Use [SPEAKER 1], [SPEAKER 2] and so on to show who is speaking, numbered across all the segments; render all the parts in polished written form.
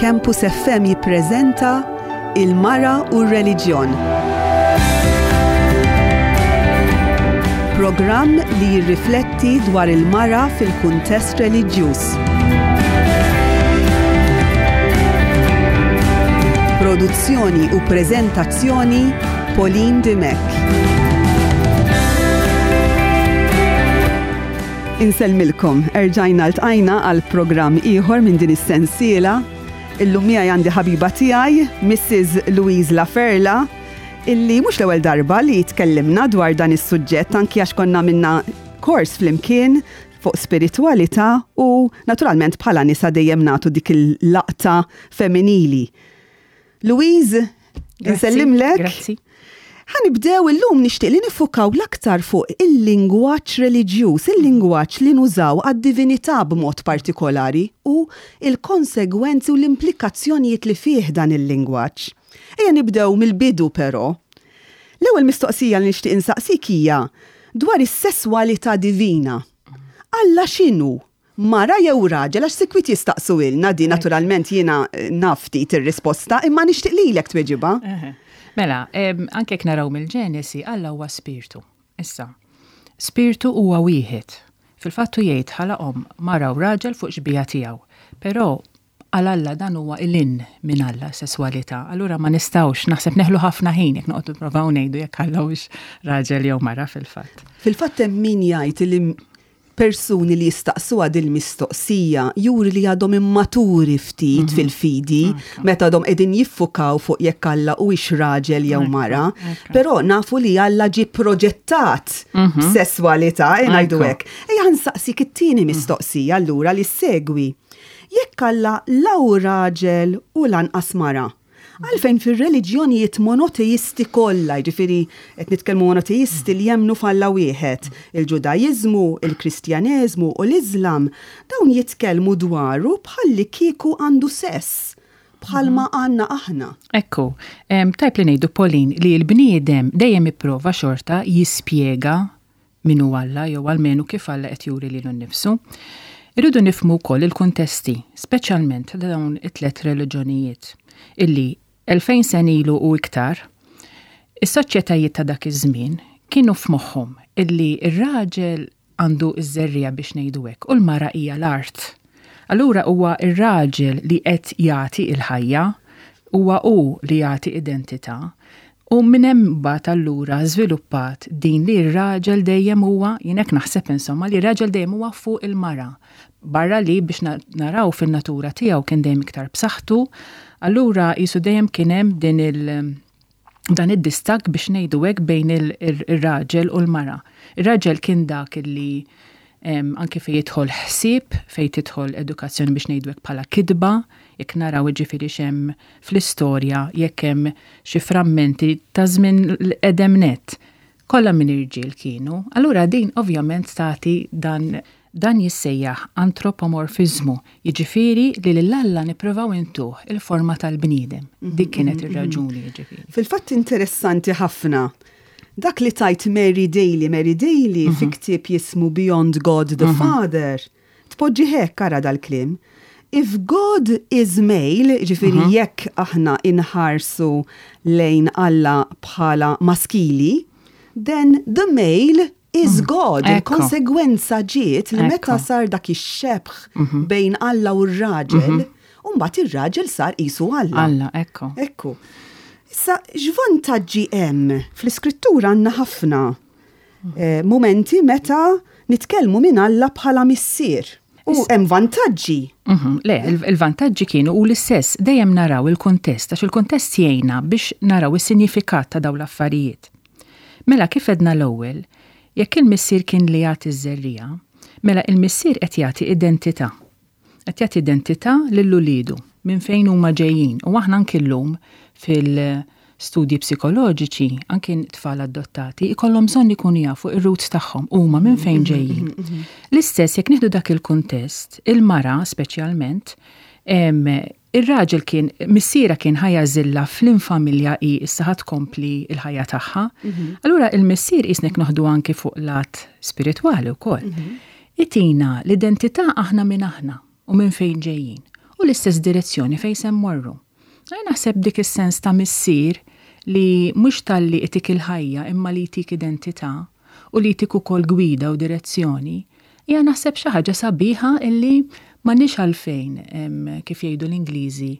[SPEAKER 1] Campus FM jippreżenta Il-Mara u r-Reliġjon. Programm li jirrifletti dwar il-mara fil-kuntest reliġjuż. Produzzjoni u preżentazzjoni Pauline Dimech. Insellmilkom, erġajna ltqajna għal programm ieħor minn din is-sensiela. Illum miegħi għandi ħabiba tiegħi, Mrs. Louise Laferla, illi mhux l-ewwel darba li tkellimna dwar dan is-suġġett anki għax konna minna kors flimkien fuq spiritwalità u naturalment bħala nisa dejjem nagħtu dik il-laqta femminili. Louise, nsellimlek.
[SPEAKER 2] Grazzi.
[SPEAKER 1] Ħa nibdew illum nixtieq li nifukaw l-aktar fuq il-lingwaġġ reliġjuż, il-lingwaġġ li nużaw għad-divinità b'mod partikolari u l-konsegwenzi u l-implikazzjonijiet li fih dan il-lingwaġġ. Ejja nibdew mill-bidu però. L-ewwel mistoqsija li nixtieq insaqsik hija dwar is-sesswalità divina. Alla x'inhu? Mara jew raġel, għax sikwit jistaqsuhielna din, naturalment jiena naf ftit ir-risposta, imma nixtieq lilek tweġibha.
[SPEAKER 2] Mela, anke jekk naraw mill-Ġenesi, Alla huwa spirtu. Issa, spirtu huwa wieħed. Fil-fatt hu jgħid ħalaqhom mara u raġel fuq xbieha tiegħu. Però għal Alla dan huwa 'l hinn minn Alla s-sesswalità. Allura ma nistgħux, naħseb neħlu ħafna ħin jekk noqogħdu nipprovaw ngħidu jekk Alla hux raġel jew mara fil-fatt.
[SPEAKER 1] Fil-fatt hemm min jgħid li Persuni li jistaqsuha dil-mistoqsija juri li għadhom immaturi ftit fil-fidi meta għadhom qegħdin jiffukaw fuq jekk Alla huwiex raġel jew mara. Però nafu li Alla ġie proġettat b'sesswalità, e ngħidu hekk. Ejja nsaqsik it-tieni mistoqsija allura li ssegwi. Jekk Alla la hu raġel u lanqas mara, Għalfejn fir-reliġjonijiet monoteisti kollha, jiġifieri qed nitkellmu monoteisti li jemmnu f'Alla wieħed, il-Ġudaiżmu, il-Kristjaneżmu u l-Iżlam, dawn jitkellmu dwaru bħallikieku għandu sess, bħalma għandna aħna.
[SPEAKER 2] Ekku, tajjeb li ngħidu Pauline li l-bniedem dejjem ipprova xorta jispjega min hu Alla jew almenu kif Alla qed juri lilu nnifsu. Irridu nifhmu wkoll il-kuntesti, speċjalment ta' dawn it-tlett reliġjonijiet, illi 2000 sena ilu u iktar, is-soċjetajiet ta' dak iż-żmien kienu f'moħħhom illi r-raġel għandu ż-żerriegħa biex ngħidu hekk u l-mara hija l-art. Allura huwa r-raġel li qed jagħti l-ħajja, huwa hu li jagħti identità. U minn hemm imbagħad allura żviluppat din li r-raġel dejjem huwa, jien hekk naħseb insomma, li r-raġel dejjem huwa fuq il-mara. Barra li biex naraw fin-natura tiegħu kien dejjem iktar b'saħħtu, allura qisu dejjem kien hemm din il dan id-distakk biex ngħidu hekk bejn ir-raġel u l-mara. Ir-raġel kien dak li anke fejn jidħol ħsieb, fejn tidħol edukazzjoni biex ngħidu hekk bħala kitba, jekk naraw jiġifieri x'hemm fl-istorja jekk hemm xi frammenti ta' żmien l-qedem nett, kollha minn irġiel kienu. Allura din ovvjament tagħti dan dan jissejjaħ antropomorfiżmu, jiġifieri li lil Alla nipprovaw intuh il-forma tal-bniedem. Dik kienet ir-raġuni jiġifieri.
[SPEAKER 1] Fil-fatt interessanti ħafna dak li tgħid Mary Daly, Mary Daly fi ktieb jismu Beyond God the Father, Tpoġġih hekk, ara dal-kliem. If God is male, jiġifieri jekk aħna inħarsu lejn Alla bħala maskili, then the male is God. Il-konsegwenza ġiet li meta sar dak ix-xebh bejn Alla u r-raġel, u mbagħad ir-raġel sar qisu Alla.
[SPEAKER 2] Alla, ekku.
[SPEAKER 1] Ekku. Issa, x'vantaġġi hemm? Fl-Iskrittura għandna ħafna mumenti meta nitkellmu minn Alla bħala missier. U hemm vantaġġi.
[SPEAKER 2] Mhm, le, il-vantaġġi kienu u l-istess dejjem naraw il-kuntest, għax il-kuntest jgħinna biex naraw is-sinjifikat ta' dawn l-affarijiet. Mela kif edna l-ewwel, jekk il-missier kien li jagħti ż-żerriegħa, mela il-missier qed jagħti identità. Qed jagħti identità lil uliedu minn fejn huma ġejjin u aħna anki llum fil-studji psikoloġiċi anki tfal adottati ikollhom bżonn ikunu jafu ir-roots tagħhom huma minn fejn ġejjin. L-istess jekk nieħdu dak il-kuntest, il-mara speċjalment ir-raġel kien missierha kien ħa jagħżilha fl-infamilja hi issa ħa tkompli l-ħajja tagħha. Allura il-missier qisnek noħdu anki fuq lat spiritwali wkoll. Itina l-identità aħna min aħna u minn fejn ġejjin. u l-istess direzzjoni fejn se mmorru. Jien naħseb dik is-sens ta' missier li mhux talli itik il-ħajja imma li jtik identità u li jtik ukoll gwida u direzzjoni, hija naħseb xi ħaġa sabiħa illi m'għandniex għalfejn, kif jgħidu l-Ingliżi,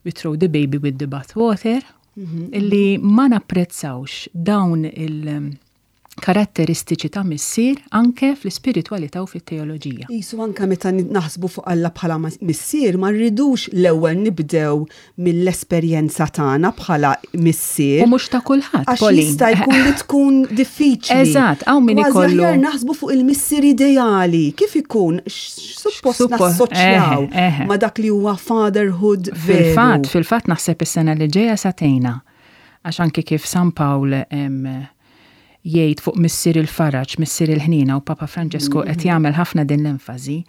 [SPEAKER 2] we throw the baby with the bath water, illi ma napprezzawx dawn il- karatteristiċi ta' missier anke fl-ispiritwalità u fit-teoloġija.
[SPEAKER 1] Qisu anke meta naħsbu fuq Alla bħala missier ma rridux l-ewwel nibdew mill-esperjenza tagħna bħala missier.
[SPEAKER 2] U mhux ta' kulħadd.
[SPEAKER 1] Għax jista' jkun li tkun diffiċli.
[SPEAKER 2] Eżatt, hawn min ikollu.
[SPEAKER 1] Aħjar naħsbu fuq il-missier ideali, kif ikun suppost nassoċjaw ma' dak li huwa fatherhood.
[SPEAKER 2] Fil-fatt, fil-fatt naħseb is-sena li ġejja satejna. Għax anke kif San Pawl jgħid fuq Missier il-Faraġ, Missier il-Ħniena u Papa Franġisku qed jagħmel ħafna din l-enfasi,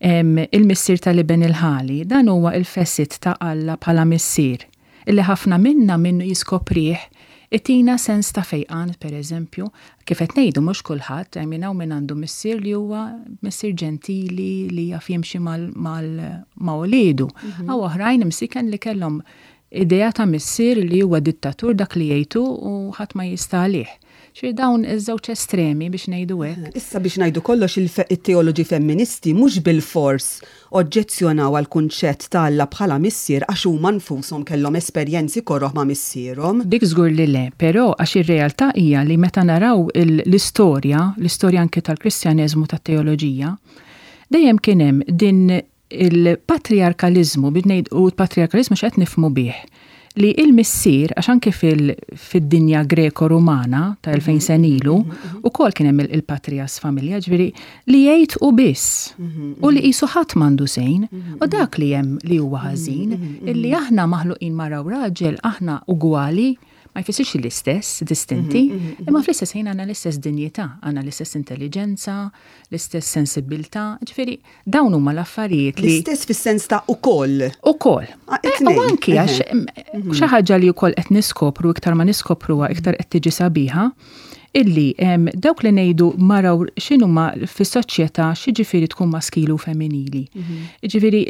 [SPEAKER 2] il-Missier tal-Iben il-Ħali, dan huwa il-facet ta' Alla bħala Missier, illi ħafna minna minnu jiskoprih itina sens ta' fejqan, per eżempju, kif qed ngħidu mhux kulħadd, I mean hawn min għandu missier li huwa missier ġentili li jaf jimxi ma' uliedu. Hawn oħrajn imsiken li kellhom Idea ta' missier li huwa dittatur dak li jgħid hu u ħadd ma jista' għalih. Ġifieri dawn iż-żewġ estremi biex ngħidu hekk.
[SPEAKER 1] Issa biex ngħidu kollox it-teoloġi femministi mhux bilfors oġġezzjonaw għall-kunċett ta' Alla bħala missier għax huma nfushom kellhom esperjenzi koroh ma' missierhom.
[SPEAKER 2] Dik żgur li le, però għax ir-realtà hija li meta naraw l-istorja, l-istorja anke tal-Kristjaneżmu tat-teoloġija, dejjem kien hemm din Il-patrijarkaliżmu, biex ngħid, u l-patrijarkaliżmu x'qed nifhmu bih? Li il-missier, għax anke fid-dinja Greko-Rumana ta' 2000 sena ilu, ukoll kien hemm il-patrias familja, ġifieri li jgħid hu biss u li qisu ħadd m'għandu sejn, u dak li hemm li huwa ħażin, illi aħna maħluqin mara u raġel, aħna ugwali, ma jfissirx l-istess, distinti, imma fl-istess ħin għandna l-istess dinjità, għandna l-istess intelliġenza, l-istess sensibbiltà, ġifieri Dawn huma l-affarijiet
[SPEAKER 1] li. L-istess fis-sens ta' ukoll.
[SPEAKER 2] Ukoll. Ah, eh, u anki għax mhm. xi ħaġa li wkoll qed niskopru iktar ma niskopruha iktar qed tiġi sabiħa illi dawk li ngħidu maraw x'inhuma fis-soċjetà x'jiġifieri tkun maskili u femminili. Mhm. Jiġifieri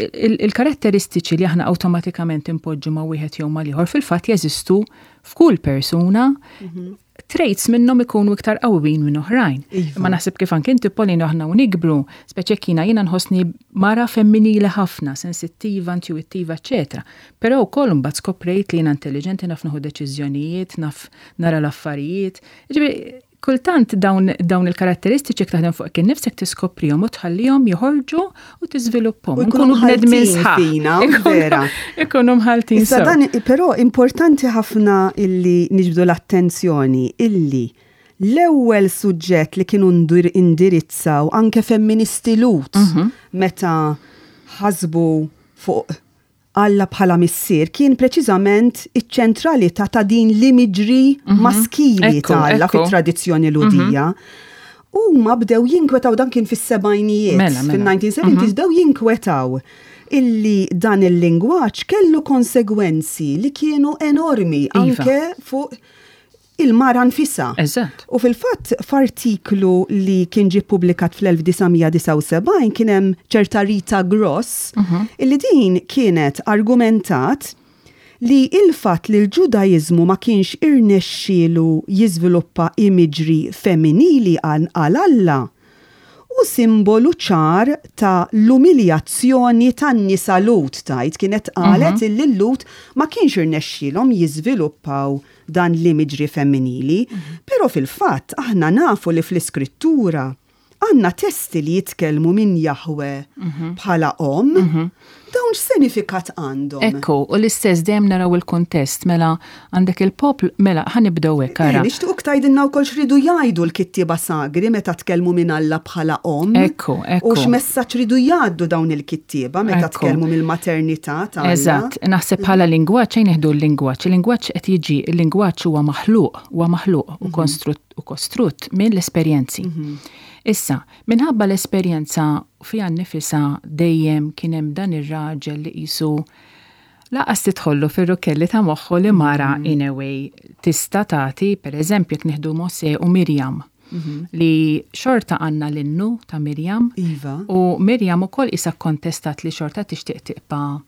[SPEAKER 2] il-karatteristiċi li aħna awtomatikament impoġġu ma' wieħed jew mal-ieħor fil-fatt jeżistu f'kull persuna mhm. Traits minnhom ikunu iktar qawwin minn oħrajn. Iva. Imma naħseb kif anke inti Pauline aħna u nikbru, speċi jekk jiena jiena nħossni mara femminili ħafna, sensittiva, intuwittiva, eċċetera. Però wkoll imbagħad skoprejt li jiena intelliġenti naf nieħu deċiżjonijiet, naf nara l-affarijiet. Jiġifieri kultant dawn, dawn il-karatteristiċi jekk taħdem fuqek innifsek tiskoprihom u tħallihom joħorġu u tiżviluppahom.
[SPEAKER 1] U jkunu bnedmin sħaħ. Vera.
[SPEAKER 2] Ikunu mħaltin.
[SPEAKER 1] Issa dan, però importanti ħafna illi niġbdu l-attenzjoni illi l-ewwel suġġett li kienu indirizzaw anke femministi Lhud mhm. meta ħasbu fuq Alla bħala missier kien preċiżament iċ-ċentralità ta' din l-imiġri mhm. maskili ta' Alla fit-tradizzjoni mhm. Lhudija. Huma bdew jinkwetaw dan kien fis-sebgħinijiet, mela, mela. fil-1970s mhm. bdew jinkwetaw illi dan il-lingwaġġ kellu konsegwenzi li kienu enormi iva. anke fuq il-mara nfisha.
[SPEAKER 2] Eżatt.
[SPEAKER 1] U fil-fatt f'artiklu li kien ġie ppubblikat fl-1979 kien hemm ċerta Rita Gross mhm. illi din kienet argumentat li il-fatt li l-Ġudaiżmu ma kienx irnexxielu jiżviluppa imagery femminili għal Alla hu simbolu ċar ta' l-umiljazzjoni tan-nisa Lhud, tgħid kienet qalet illi l-Lhud ma kienx irnexxielhom jiżviluppaw dan l-imagery femminili. Però fil-fatt aħna nafu li fl-Iskrittura għandna testi li jitkellmu minn Jahwe bħala omm. Dawn x'sinifikat għandhom?
[SPEAKER 2] Ekku, u l-istess dejjem naraw il-kuntest, mela għandek il-poplu, mela ħa nibdew hekk ara.
[SPEAKER 1] Eh, nixtiequk tgħidilna wkoll x'ridu jgħidu l-kittieba sagri meta tkellmu minn Alla bħala omm.
[SPEAKER 2] Ekku, ekku.
[SPEAKER 1] U x'messaġġ ridu jgħaddu dawn il-kittieba meta tkellmu mill-maternità ta'
[SPEAKER 2] Alla. Eżatt, naħseb bħala lingwaġġ ejn nieħdu l-lingwaġġ. Il-lingwaġġ qed jiġi, il-lingwaġġ huwa maħluq, huwa maħluq u konstrutt u kostrutt minn l-esperjenzi. Mhm. Issa, minħabba l-esperjenza fiha nnifisha dejjem kien hemm dan ir-raġel li qisu laqas tidħollu fir-rukkelli ta' moħħu li mara mhm. in a way tista' tagħti, pereżempju jekk nieħdu Mosè u Mirjam. Li xorta għandna l-innu ta' Mirjam.
[SPEAKER 1] Iva.
[SPEAKER 2] U Mirjam ukoll isa kontestat li xorta tixtieq tibqa'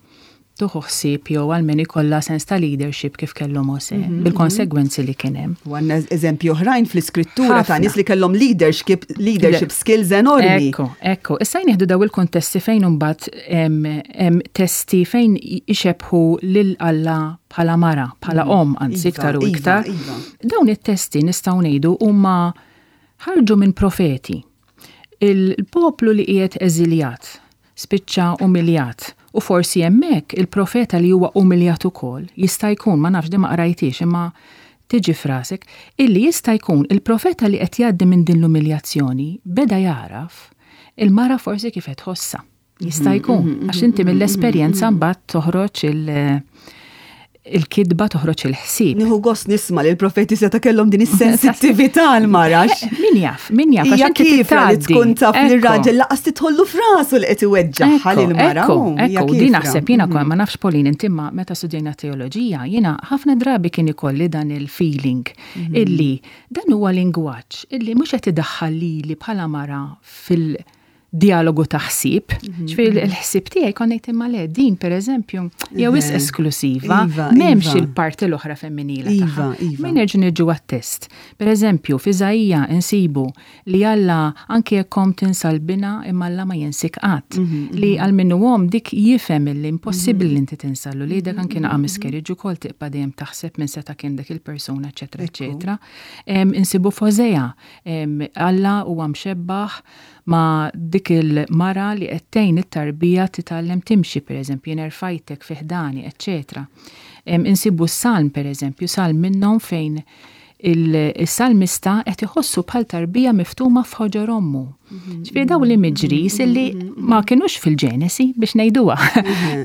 [SPEAKER 2] tuħu ħsieb jew għalmen ikollha sens ta' leadership kif kellu Mose, bil-konsegwenzi li kien hemm.
[SPEAKER 1] U għandna eżempji oħrajn fl-iskrittura ta' nies li kellhom leadership, leadership skills enormi.
[SPEAKER 2] Ekku, ekku. Issa jnieħdu daw il-kontesti fejn imbagħad hemm testi fejn ixebħu lil Alla bħala mara, bħala omm, anzi
[SPEAKER 1] Iva,
[SPEAKER 2] iktar u
[SPEAKER 1] iva,
[SPEAKER 2] iktar.
[SPEAKER 1] iva.
[SPEAKER 2] Dawn it-testi nistgħu ngħidu huma ħarġu minn profeti. Il-poplu li qiegħed eżiljat, spiċċa umiljat, u forsi hemmhekk il-profeta li huwa umiljat ukoll jista' jkun, ma nafx di ma qrajtix, imma tiġi frasek, illi jista' jkun il-profeta li qed jgħaddi minn din l-umiljazzjoni beda jaraf il-mara forsi kif qed tħossha. Jista' jkun, għax inti mill-esperjenza mbagħad toħroġ il-kidba, toħroġ il-ħsieb.
[SPEAKER 1] Nieħu gost nisma' li l-profeti seta' kellhom din is-sensittività għall-mara.
[SPEAKER 2] Min jaf, min jaf, għax
[SPEAKER 1] Hija
[SPEAKER 2] inti
[SPEAKER 1] kifra li
[SPEAKER 2] titgħaddi.
[SPEAKER 1] tkun taf li
[SPEAKER 2] Ekku.
[SPEAKER 1] r-raġel laqas titħollu f'rasu li qed iweġġaħħa lil mara.
[SPEAKER 2] Ekku,
[SPEAKER 1] hija
[SPEAKER 2] ekku,
[SPEAKER 1] kifra.
[SPEAKER 2] di naħseb jiena mm ma nafx Pauline inti ma meta studjajna teoloġija, jiena ħafna drabi kien ikolli dan il-feeling illi dan huwa lingwaġġ illi mhux qed idaħħal lili bħala mara fil-dialogu ta' ħsieb. Ġifieri l-ħsieb tiegħi kont ngħid imma le din pereżempju hija wisq esklusiva, m'hemmx il-parti l-oħra femminila
[SPEAKER 1] Iva,
[SPEAKER 2] tagħha.
[SPEAKER 1] iva.
[SPEAKER 2] Min nerġgħu niġu għat-test. Pereżempju, f'Iżaija insibu li Alla anke jekk omm tinsa l-bina imma Alla ma jinsik qatt. Li għal minnu omm dik jifhem illi impossibbli li inti tinsa l uliedek anke naqa' miscarriage ukoll tibqa' dejjem taħseb minn seta' kien dak il-persuna, eċetera, eċetera. Insibu f'Hosea, Alla huwa mxebbaħ ma' dik il-mara li qed tgħin it-tarbija titgħallem timxi, pereżempju, jien erfajtek fi ħdani, eċetera. Insibu s-salm, pereżempju, salm minnhom fejn il-salmista qed iħossu bħal tarbija miftuma f'ħoġor ommu. Ġifieri dawn l-imageries illi ma kinux fil-Ġenesi biex ngħiduha.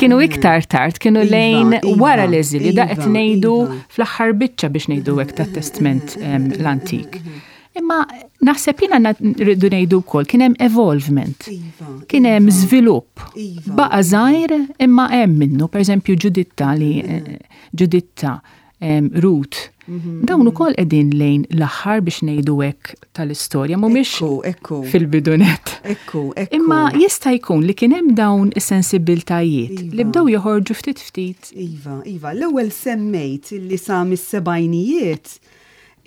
[SPEAKER 2] Kienu iktar tard, kienu lejn wara l-eżilju, da qed ngħidu fl-aħħar biċċa biex ngħidu hekk tat-Testment l-Antik. Imma naħseb jiena rridu ngħidu wkoll kien hemm evolvement. Kien hemm żvilupp. Baqa' żgħir imma hemm minnu, pereżempju Ġuditta li Ġuditta, Ruth. Dawn ukoll qegħdin lejn l-aħħar biex ngħidu hekk tal-istorja, mhumiex
[SPEAKER 1] Ekku, ekku.
[SPEAKER 2] fil-bidunet.
[SPEAKER 1] Ekku, ekku.
[SPEAKER 2] Imma jista' jkun li kien hemm dawn is-sensibiltajiet li bdew joħorġu ftit ftit.
[SPEAKER 1] Iva, iva, l-ewwel semmejt li sa mis-sebgħinijiet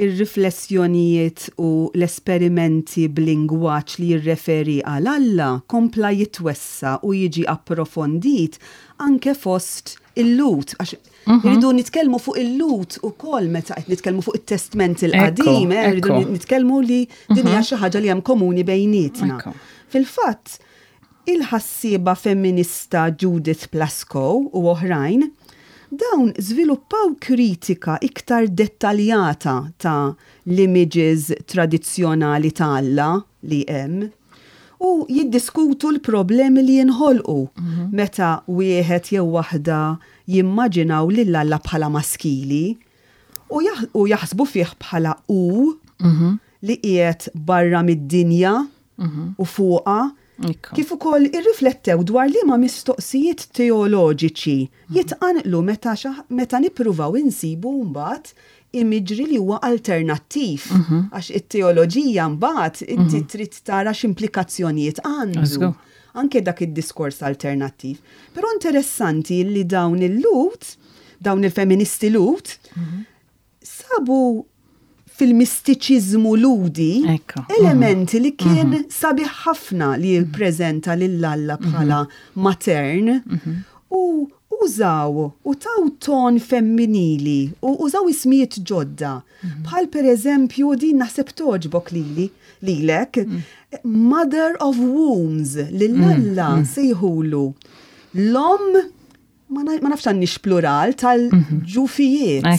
[SPEAKER 1] ir-riflessjonijiet u l-esperimenti b'lingwaġġ li jirreferi għal Alla kompla jitwessa u jiġi approfondit anke fost il-Lhud, għax irridu nitkellmu fuq il-Lhud ukoll meta qed nitkellmu fuq it-Testment il-Qadim, irridu nitkellmu li din hija xi ħaġa li hemm komuni bejnietna. Fil-fatt, il-ħassieba femminista Judith Plaskow u oħrajn, dawn żviluppaw kritika iktar dettaljata ta' l-images tradizzjonali ta' Alla li hemm u jiddiskutu l-problemi li jinħolqu meta wieħed jew waħda jimmaġinaw lil Alla bħala maskili u jaħsbu fih bħala u li qiegħed barra mid-dinja u fuqha. Kif ukoll irriflettew dwar liema mistoqsijiet teoloġiċi jitqanqlu meta nippruvaw insibu mbagħad imġri li huwa alternattiv. Għax it-teoloġija mbagħad inti trid tara x'implikazzjonijiet għandu. Anke dak id-diskors alternattiv. Però interessanti li dawn il-Lhud, dawn il-feministi Lhud, sabu fil-mistiċiżmu ludi elementi li kien sabiħ ħafna li jippreżenta lil Alla bħala matern u użaw u taw ton femminili u użaw ismijiet ġodda. Bħal per eżempju din naħseb toġbok lili, lilek, Mother of Wombs, lil Alla sejħulu l-om ma nafx għandix plural tal-ġufijiet. Ma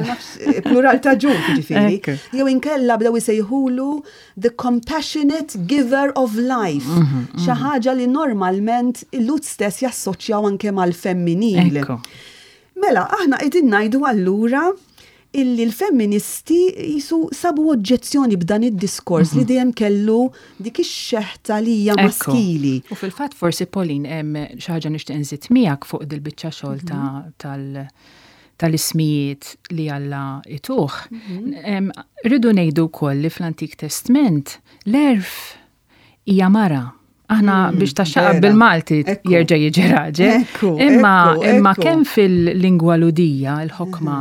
[SPEAKER 1] nafx, plural ta' ġuf, ġifieri. Jew inkella bdew isejħulu the compassionate giver of life. Xi ħaġa li normalment il-Lhud stess jassoċjaw anke mal-femminil. Mela, aħna qegħdin ngħidu allura illi l-femministi jisu sabu oġġezzjoni b'dan id-diskors li dejjem kellu dik ix-xeħta li hija maskili.
[SPEAKER 2] U fil-fatt forsi Pauline hemm xi ħaġa nixtieq inżid miegħek fuq dil-biċċa xogħol tal tal-ismijiet li Alla ituh, rridu ngħidu wkoll li fl-Antik Testment l-għerf hija mara. Aħna biex taxxaqa bil-Malti jerġa' jiġi raġel. Imma imma kemm fil-lingwa Lhudija l-ħokma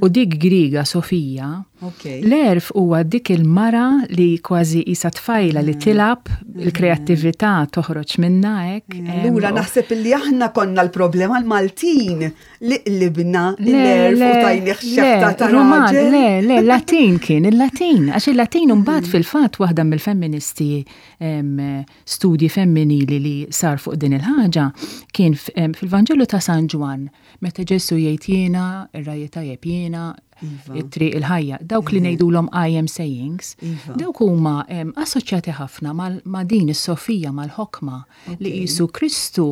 [SPEAKER 2] u dik Griega Sofija, l-għerf huwa dik il-mara li kważi qisha tfajla li tilgħab, il-kreattività toħroġ minnha hekk.
[SPEAKER 1] Allura naħseb illi aħna konna l-problema l-Maltin li qlibna l-għerf u tajnieh xebta ta' raġel.
[SPEAKER 2] Le, le, Latin kien, il-Latin. Għax il-Latin mbagħad fil-fatt waħda mill-femministi studji femminili li sar fuq din il-ħaġa kien fil-Vanġelu ta' San Ġwann, meta Ġesù jgħid jiena, ir-ragħaj tajjeb jiena, iva. it-triq il-ħajja, dawk li ngħidulhom I am sayings, iva. dawk huma assoċjati ħafna ma' din is-Sofija mal-ħokma li qisu Kristu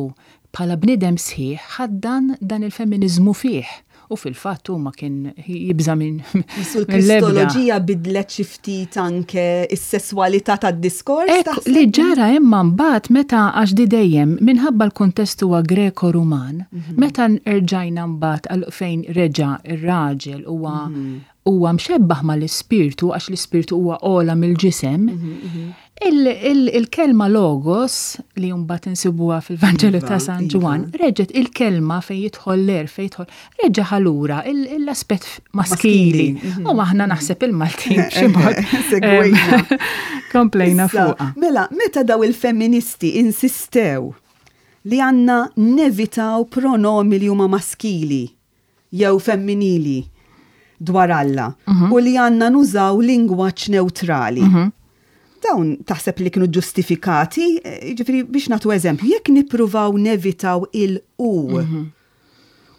[SPEAKER 2] bħala bniedem sħiħ ħaddan dan il-femminiżmu fih. U fil-fatt hu ma kien jibża' minn.
[SPEAKER 1] Qisu l-Kristoloġija bidlet xi ftit anke s-sesswalità tad-diskors?
[SPEAKER 2] Hekk li ġara imma mbagħad meta għax di dejjem minħabba l-kuntest huwa Greko-Ruman, meta rġajna mbagħad għal fejn reġa' r-raġel huwa huwa mxebbaħ mal-ispirtu għax l-ispirtu huwa ogħla mill-ġisem. Il-kelma logos li mbagħad insibuha fil-Vanġelu ta' iva, San Ġwann, iva. reġgħet il-kelma fejn jidħol l-għerf fejn jidħol, reġa' ħa lura l-aspett maskili. U aħna naħseb il-Maltin b'xi mod.
[SPEAKER 1] Segwejna.
[SPEAKER 2] Komplejna fuqha.
[SPEAKER 1] Mela, meta daw il-femministi insistew li għandna nevitaw pronomi li huma maskili jew femminili dwar Alla u li għandna nużaw lingwaġġ newtrali. Dawn taħseb li kienu ġustifikati? Jiġifieri biex nagħtu eżempju, jekk nippruvaw nevitaw il-u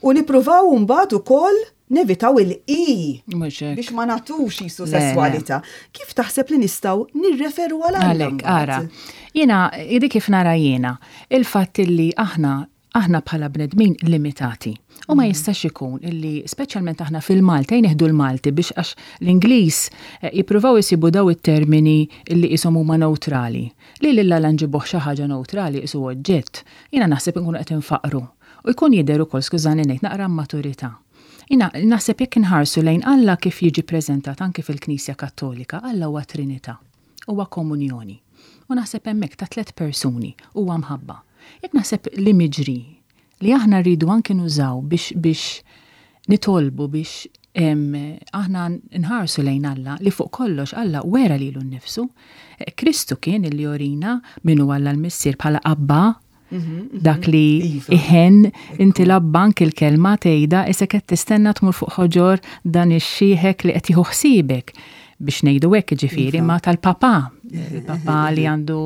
[SPEAKER 1] u nippruvaw mbagħad ukoll nevitaw il-i biex ma nagħtux qisu sesswalità. Kif taħseb li nistgħu nirreferu għal
[SPEAKER 2] Alla? Għalhekk, ara, jiena, dik kif nara jiena, il-fatt li aħna Aħna bħala bnedmin limitati. U ma jistax ikun illi, speċjalment aħna fil-Malti, ejja nieħdu l-Malti biex għax l-Ingliż jippruvaw isibu daw it-termini illi qishom huma newtrali. Li lil Alla nġibuh xi ħaġa newtrali qisu oġġett, jiena naħseb inkunu qed infaqqru. U jkun jidher ukoll, skużani ngħid, naqra immaturità. Jiena naħseb jekk inħarsu lejn Alla kif jiġi ppreżentat anki fil-Knisja Kattolika, Alla huwa Trinità. Huwa komunjoni. U naħseb hemmhekk ta' tlett persuni huwa mħabba. Jekk naħseb l-imagery li aħna rridu anki nużaw biex biex nitolbu biex aħna nħarsu lejn Alla li fuq kollox Alla wera lilu nnifsu. Kristu kien illi jorina min hu Alla l-Missier bħala Abba Dak li iva. iħen inti l-abbank il-kelma tgħidha isek qed tistenna tmur fuq ħoġor dan ix-xieħek li qed jieħu ħsiebek biex ngħidu hekk ġifieri iva. ma tal-papa, il-papa li għandu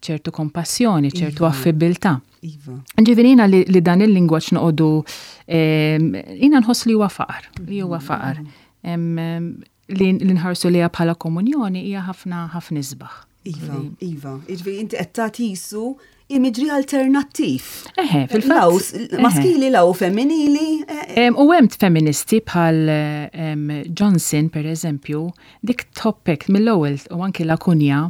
[SPEAKER 2] ċertu kompassjoni, ċertu iva. affibilità. Iva. Ġifieri jiena li, li dan il-lingwaġġ noqogħdu jiena nħoss li huwa faqar, li huwa faqar. Li nħarsu liha bħala komunjoni hija ħafna ħafna isbaħ.
[SPEAKER 1] Iva, iva. Jiġifieri inti qed tagħti jisu imagery alternattiv.
[SPEAKER 2] Eħe, fil-fatt.
[SPEAKER 1] Maskili law femminili.
[SPEAKER 2] Eh, eh. U hemm feministi bħal Johnson, per eżempju, dik toppek mill-ewwel u anki Lakunja,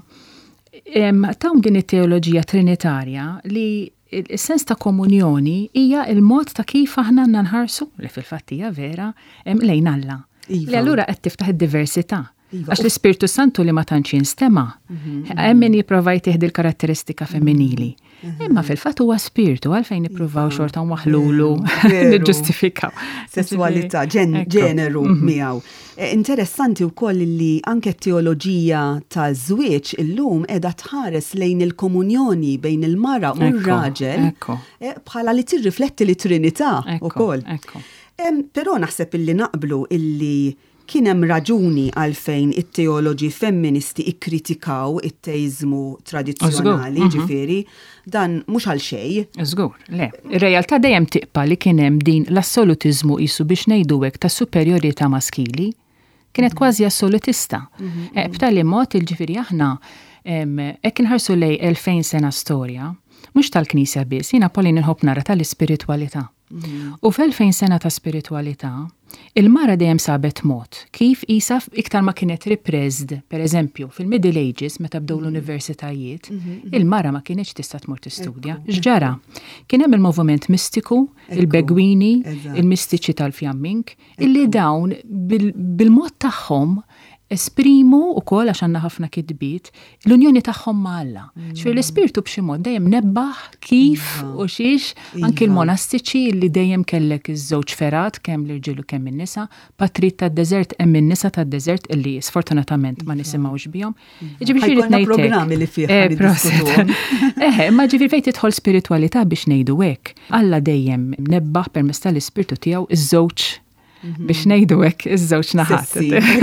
[SPEAKER 2] tawn din it-teoloġija trinitarja li Is-sens ta' komunjoni hija l-mod ta' kif aħna għandna nħarsu, li fil-fatt hija vera, lejn Alla. Iva. Li allura qed tiftaħ id-diversità. Iva. Għax l-Ispirtu Santu li ma tantx jinstema', mhm, hemm min jipprova jtih il-karatteristika femminili. Mhm. Imma fil-fatt huwa spirtu għalfejn nippruvaw iva. xorta nwaħlulu niġġustifikaw.
[SPEAKER 1] Sesswalità, ġeneru mhm. miegħu. Eh, interessanti wkoll li anke t-teoloġija taż-żwieġ illum qiegħda tħares lejn il-komunjoni bejn il-mara u r-raġel eh, bħala li tirrifletti li Trinità ukoll. Però naħseb illi naqblu illi kien hemm raġuni għalfejn it-teoloġi femministi ikkritikaw it-teiżmu tradizzjonali, ġifieri, dan mhux għal xejn.
[SPEAKER 2] Żgur, le. Ir-realtà dejjem tibqa' li kien hemm din l-assolutiżmu qisu biex ngħidu hekk ta' superjorità maskili. Kienet kważi assolutista. Eh, b'tali mod il ġifieri aħna hekk inħarsu lejn 2000 sena storja, mhux tal-Knisja biss, jiena Pauline inħobb nara tal-ispiritwalità. U f'elfejn sena ta' spiritwalità, il-mara dejjem sabet mod kif qisha iktar ma kienet repressed, per eżempju, fil-Middle Ages meta bdew l-universitajiet, il-mara ma kinitx tista' tmur tistudja. X'ġara? Kien hemm il-moviment mistiku, il-begwini, il-mistiċi tal-fjamming, illi dawn bil-mod tagħhom esprimu wkoll għax għandna ħafna kitbiet l-unjoni tagħhom ma' Alla. Ġifieri l-ispirtu b'xi mod dejjem nebbaħ kif iva. u xiex anki iva. l-monastiċi li dejjem kellek iż-żewġ ferat kemm l-irġiel u kemm in-nisa, patrit tad-deżert hemm in-nisa tad-deżert illi sfortunatament ma iva. nisimgħux bihom.
[SPEAKER 1] Ġifieri xi ngħid programmi li fih eh,
[SPEAKER 2] Eh, ma ġifieri fejn tidħol spiritualità biex ngħidu hekk. Alla dejjem nebbaħ permezz tal-ispirtu tiegħu iż-żewġ mhm. biex ngħidu hekk iż-żewġ naħat.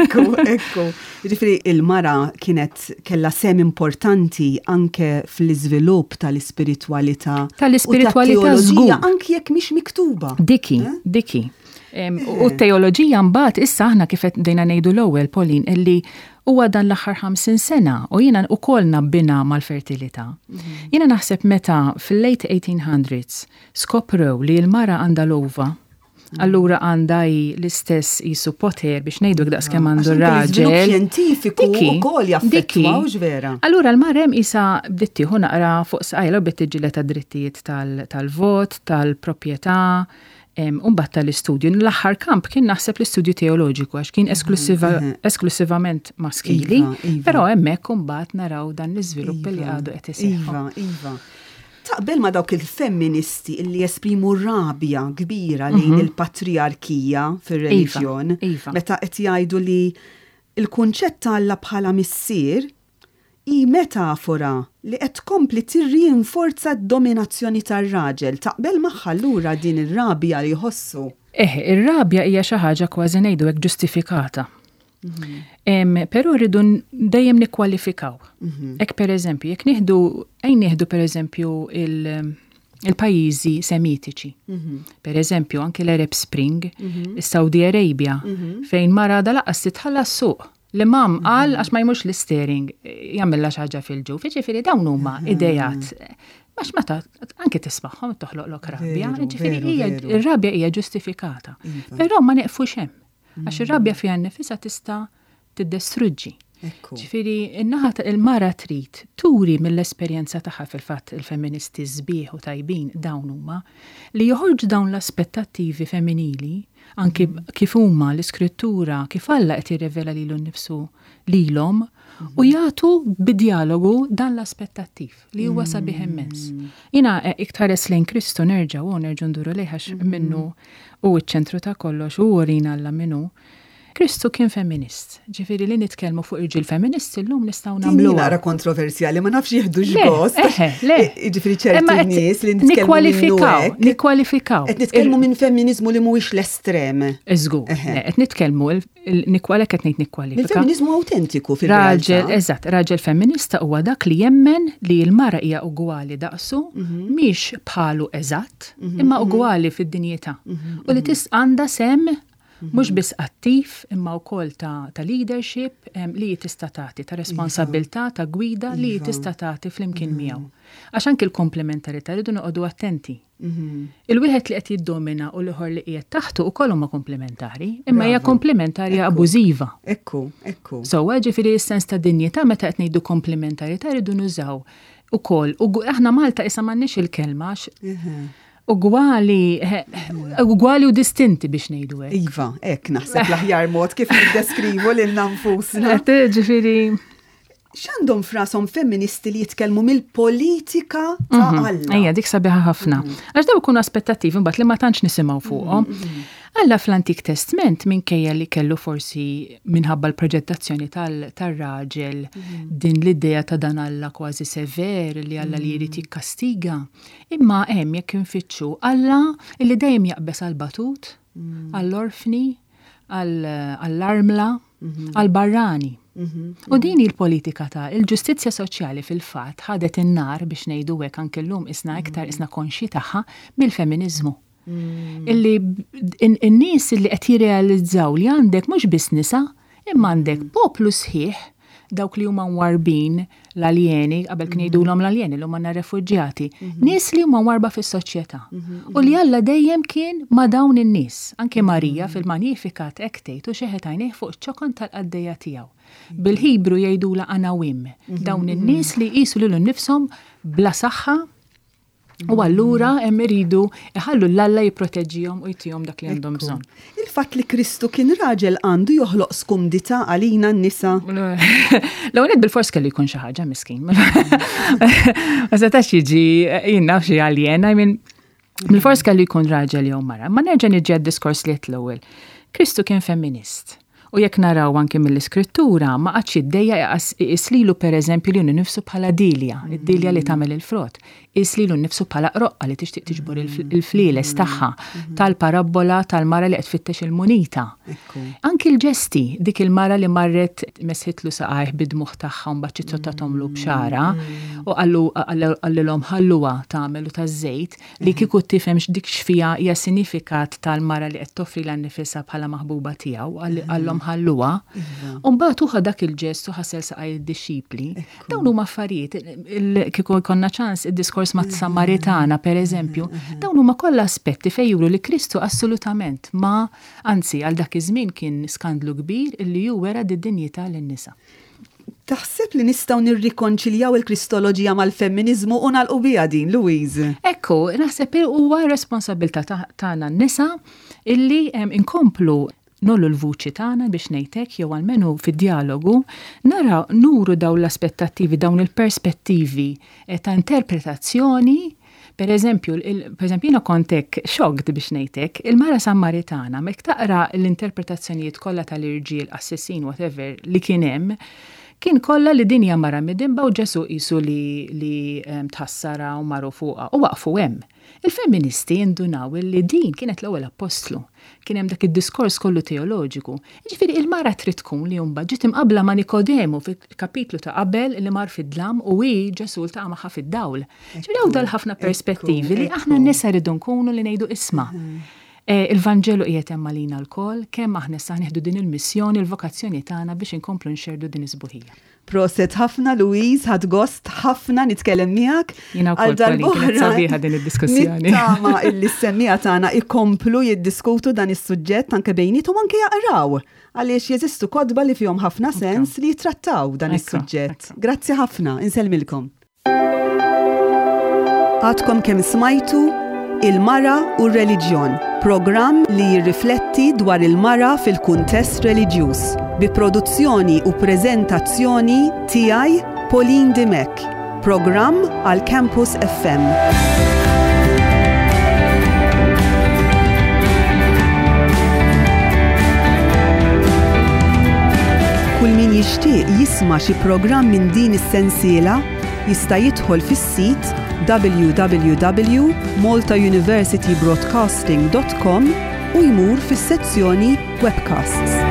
[SPEAKER 1] Ekku, ekku. Ġifieri il-mara kienet kellha sem importanti anke fl-iżvilupp tal-ispiritwalità.
[SPEAKER 2] Tal-ispiritwalità żgur.
[SPEAKER 1] Anke jekk mhix miktuba.
[SPEAKER 2] Diki, eh? diki. U t-teoloġija mbagħad issa aħna kif qed bdejna ngħidu l-ewwel Pauline illi huwa dan l-aħħar 50 sena u jiena wkoll nabbina mal-fertilità. Mhm. Jiena naħseb meta fil-late 1800s skoprew li l-mara għandha l-ova, mhm. allura għandha l-istess jisu poter biex ngħidu daqs kemm għandu raġel.
[SPEAKER 1] Xjentifiku wkoll jaffettwaw vera.
[SPEAKER 2] Allura l-mara hemm isa bdiet tieħu naqra fuq sqajla u bdiet tiġġieled drittijiet tal-vot, tal-proprjetà, U mbagħad tal-istudju. L-aħħar kamp kien naħseb l-istudju teoloġiku għax kien esklusivament maskili, iva, iva. però hemmhekk imbagħad naraw dan l-iżvilupp li iva, għadu qed iseħħ.
[SPEAKER 1] Iva, iva. Taqbel ma dawk il-femministi illi jesprimu rabja kbira lejn mhm. il-patriarkija fir-reliġjon, meta qed jgħidu li il-kunċett ta' Alla bħala missier Hi metafora li qed tkompli tirrinforza d-dominazzjoni tar-raġel. Taqbel magħha allura din ir-rabja li jħossu?
[SPEAKER 2] Eħe, ir-rabja hija xi ħaġa kważi ngħidu hekk ġustifikata. Però rridu dejjem nikkwalifikaw. Hekk pereżempju, jekk nieħdu ejn nieħdu pereżempju il-pajjiżi semitiċi. Per eżempju, anki l-Arab Spring, is-Saudi Arabia, fejn mara dal-aqqas titħallas suq. L-imam qal għax ma jmurx l-steering jagħmilha xi ħaġa fil-ġuf. Jiġifieri dawn huma idejat. Għax meta anke tismagħhom toħloqlok rabja, jiġifieri hija ir-rabja hija ġustifikata. Iva. Però ma neqfux hemm. Għax ir-rabja fiha nnifisha tista' tiddestruġġi. Ġifieri in-naħa ta' il-mara trid turi mill-esperjenza tagħha fil-fatt il-femministi sbieħ u tajbin dawn huma li joħorġu dawn l-aspettattivi femminili anki kif huma l-Iskrittura, kif Alla qed jirrevela lilu nnifsu lilhom, u jagħtu bid-djalogu dan l-aspettattiv li huwa sabiħ immens. Jiena eh, iktar lejn Kristu nerġa' u nerġu nduru lejh għax minnu hu ċ-ċentru ta' kollox u urina Alla min hu. Kristu kien femminist. Ġifieri li nitkellmu fuq irġiel femministi llum nistgħu nagħmlu.
[SPEAKER 1] Nara kontroversjali, ma nafx jieħdu x'gost.
[SPEAKER 2] Le,
[SPEAKER 1] Ġifieri ċerti nies li nitkellmu
[SPEAKER 2] Nikkwalifikaw, nikkwalifikaw.
[SPEAKER 1] Qed nitkellmu minn femminizmu li mhuwiex l-estrem.
[SPEAKER 2] Żgur, qed nitkellmu għalhekk qed ngħid nikkwalifika.
[SPEAKER 1] Il-femminizmu awtentiku fil-realtà.
[SPEAKER 2] Raġel, eżatt, raġel femminista huwa dak li jemmen li l-mara hija ugwali daqsu, mhm. mhix bħalu eżatt, mhm, imma mhm. ugwali fid-dinjità. U li tis għandha sem Mhux biss attiv imma wkoll ta' ta' leadership li hi tista' tagħti, ta' responsabbiltà, ta' gwida li hi tista' tagħti flimkien miegħu. Għax anki l-komplementarità rridu noqogħdu attenti. Il-wieħed li qed jiddomina u l-ieħor li qiegħed taħtu wkoll huma komplementari, imma hija komplementarja abużiva.
[SPEAKER 1] Ekku, ekku.
[SPEAKER 2] Sewwa, ġifieri s-sens ta' dinjità meta qed ngħidu komplementarità rridu nużaw ukoll. Aħna Malta issa m'għandniex il-kelma għax Ugwali, ugwali u distinti biex ngħidu
[SPEAKER 1] hekk. Iva, hekk naħseb l-aħjar mod kif niddeskrivu lilna nfusna.
[SPEAKER 2] Ġifieri.
[SPEAKER 1] X'għandhom frashom femministi li jitkellmu mill-politika ta' mhm. Alla?
[SPEAKER 2] Ejja, dik sabiħa ħafna. Mhm. Għax daw ikunu aspettattivi mbagħad li ma tantx nisimgħu fuqhom. Mhm, Alla fl-Antik Testment minkejja li kellu forsi minħabba l-proġettazzjoni tal-raġel din l-idea ta' dan Alla kważi sever li Alla li jrid jikkastiga. Imma hemm jekk infittxu Alla li dejjem jaqbeż għall-batut, għall-orfni, għall-armla, għall-barrani. U din hi l-politika ta' il-ġustizzja soċjali fil-fatt ħadet in-nar biex ngħidu hekk anke llum isna iktar isna konxji tagħha mill-feminiżmu. Illi n-nies illi qed jirrealizzaw li għandek mhux biss nisa, imma għandek poplu sħiħ. dawk li huma mwarrbin, l-aljeni, qabel kien jgħidulhom l-aljeni, llum għandna refuġjati, nies li huma mwarrba fis-soċjetà. U li Alla dejjem kien ma' dawn in-nies. Anke Marija fil-Magnificat hekk tgħid u xeħet għajnejh fuq iċ-ċokon tal-qaddejja tiegħu. Bil-Ħibru jgħidulha anawim, dawn in-nies li jqisu lilhom innifshom bla saħħa, U allura hemm iridu iħallu 'l Alla jipproteġġihom u jtihom dak li għandhom bżonn.
[SPEAKER 1] Il-fatt li Kristu kien raġel għandu joħloq skumdità għalina n-nisa?
[SPEAKER 2] L-ewwel nett bilfors kellu jkun xi ħaġa miskin. Ma setax jiġi jien naf xi alien, I mean, bilfors kellu jkun raġel jew mara. Ma nerġa' niġi għad-diskors li għedt l-ewwel. Kristu kien femminist. U jekk naraw anki mill-Iskrittura, ma qagħadx jiddejjaq iqis lilu pereżempju lilu nnifsu bħala dielja, id-dielja li tagħmel il-frott. Qies lilu nnifsu bħala qroqqa li tixtieq tiġbor il-flieles tagħha, tal-parabbola tal-mara li qed tfittex il-munita. Anki l-ġesti, dik il-mara li marret mesħitlu saqajh bid-dmugħ tagħha u mbagħad ċizzottathoomlu b'xagħarha u qallu qalilhom ħalluha tagħmel u taż-żejt, Li kieku tifhem x'dik x'fiha hija sinifikat tal-mara li qed toffrilha nnifisha bħala maħbuba tiegħu, qallhom ħalluha. U mbagħad hu ħa dak il-ġest u ħasel saqaj id-dixxipli. Dawn huma affarijiet, kieku jkollna ċans id-diskors mat-Samaritana pereżempju, dawn huma kollha aspetti fejn juru li Kristu assolutament ma, anzi għal dak iż-żmien kien skandlu kbir illi hu wera d-dinjità lin-nisa.
[SPEAKER 1] Taħseb li nistgħu nirrikonċiljaw il-Kristoloġija mal-femminiżmu u nagħlqu biha din, Louise?
[SPEAKER 2] Ekku, naħseb huwa r-responsabbiltà tagħna n-nisa illi nkomplu ngħollu l-vuċi tagħna biex ngħid hekk jew almenu fid-djalogu naraw nuru dawn l-aspettattivi, dawn il-perspettivi ta' interpretazzjoni Per eżempju, per eżempju jiena kont hekk shocked biex ngħid hekk, il-mara Sammaritana, mek taqra l-interpretazzjonijiet kollha tal-irġiel, qassisin, whatever, li kien hemm, kien kollha li din hija mara midinba u Ġesù qisu li li tħassarha u maru fuqha u waqfu hemm. Il-femministi indunaw li din kienet l-ewwel appostlu. Kien hemm dak id-diskors kollu teoloġiku. Jiġifieri il-mara trid tkun li mbagħad ġiet imqabbla ma' Nikodemu fil-kapitlu ta' qabel li mar fid-dlam u hi Ġesù ltaqa' magħha fid-dawl. Ġifieri hawn dal-ħafna perspettivi li aħna n-nisa rridu nkunu li ngħidu isma'. Eh, il-Vanġelu qiegħed hemm għalina lkoll, kemm aħna issa nieħdu din il-missjoni, il-vokazzjoni tagħna biex inkomplu nxerrdu din is-sbuħija.
[SPEAKER 1] Proset ħafna Louise, ħadt gost ħafna nitkellem miegħek.
[SPEAKER 2] Jiena wkoll kienet sabiħa din id-diskussjoni.
[SPEAKER 1] Nittama illi s-semmiegħa tagħna ikomplu jiddiskutu dan is-suġġett anke bejniethom anke jaqraw għaliex jeżistu kotba li fihom ħafna sens li jittrattaw dan is-suġġett. Grazzi ħafna, insellmilkom. Għadkom kemm smajtu Il-Mara u r-Reliġjon, programm li jirrifletti dwar il-mara fil-kuntest reliġjuż, bi produzzjoni u preżentazzjoni tiegħi Pauline Dimech, programm għal Campus FM. Kull min jixtieq jisma' xi programm minn din is-sensiela jista' jidħol fis-sit www.maltauniversitybroadcasting.com u jmur fis-sezzjoni Webcasts.